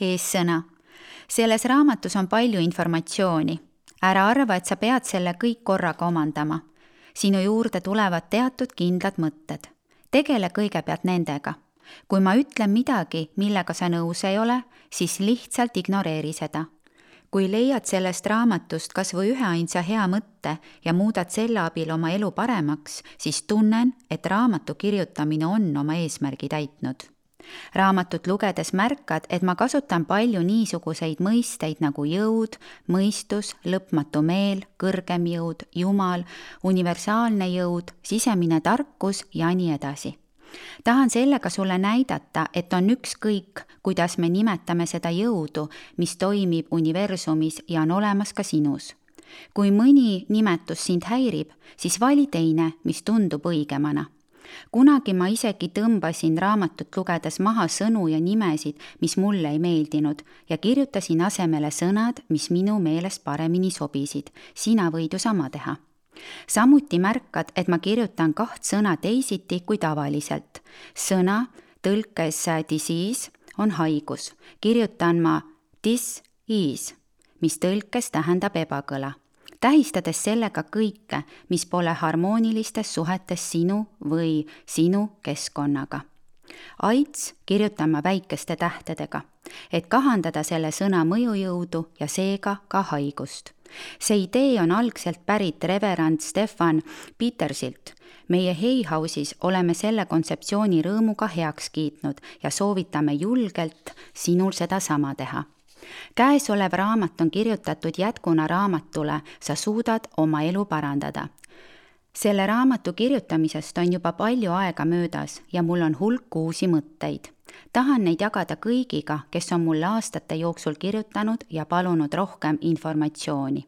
Eessõna. Selles raamatus on palju informatsiooni. Ära arva, et sa pead selle kõik korraga omandama. Sinu juurde tulevad teatud kindlad mõtted. Tegele kõigepealt nendega. Kui ma ütlen midagi, millega sa nõus ei ole, siis lihtsalt ignoreeri seda. Kui leiad sellest raamatust kas või üheainsa hea mõtte ja muudad selle abil oma elu paremaks, siis tunnen, et raamatu kirjutamine on oma eesmärgi täitnud. Raamatut lugedes märkad, et ma kasutan palju niisuguseid mõisteid nagu jõud, mõistus, lõpmatu meel, kõrgem jõud, jumal, universaalne jõud, sisemine tarkus ja nii edasi. Tahan sellega sulle näidata, et on ükskõik, kuidas me nimetame seda jõudu, mis toimib universumis ja on olemas ka sinus. Kui mõni nimetus sind häirib, siis vali teine, mis tundub õigemana. Kunagi ma isegi tõmbasin raamatut lugedes maha sõnu ja nimesid, mis mulle ei meeldinud ja kirjutasin asemele sõnad, mis minu meelest paremini sobisid. Sina võid ju sama teha. Samuti märkad, et ma kirjutan 2 sõna teisiti kui tavaliselt. Sõna tõlkes disease on haigus. Kirjutan ma dis-ease, mis tõlkes tähendab ebakõla. Tähistades sellega kõike, mis pole harmoonilistes suhetes sinu või sinu keskkonnaga. AIDS kirjutan ma väikeste tähtedega, et kahandada selle sõna mõjujõudu ja seega ka haigust. See idee on algselt pärit reverend Stefan Petersilt. Meie Hay House'is oleme selle kontseptsiooni rõõmuga heaks kiitnud ja soovitame julgelt sinul seda sama teha. Käesolev raamat on kirjutatud jätkuna raamatule Sa suudad oma elu parandada. Selle raamatu kirjutamisest on juba palju aega möödas ja mul on hulk uusi mõtteid. Tahan neid jagada kõigiga, kes on mulle aastate jooksul kirjutanud ja palunud rohkem informatsiooni.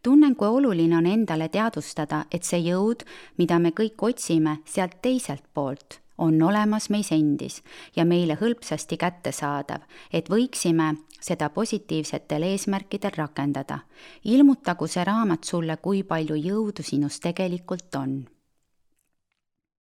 Tunnen, kui oluline on endale teadvustada, et see jõud, mida me kõik otsime sealt teiselt poolt, on olemas meis endis ja meile hõlpsasti kättesaadav, et võiksime seda positiivsetel eesmärkidel rakendada. Ilmutagu see raamat sulle, kui palju jõudu sinus tegelikult on.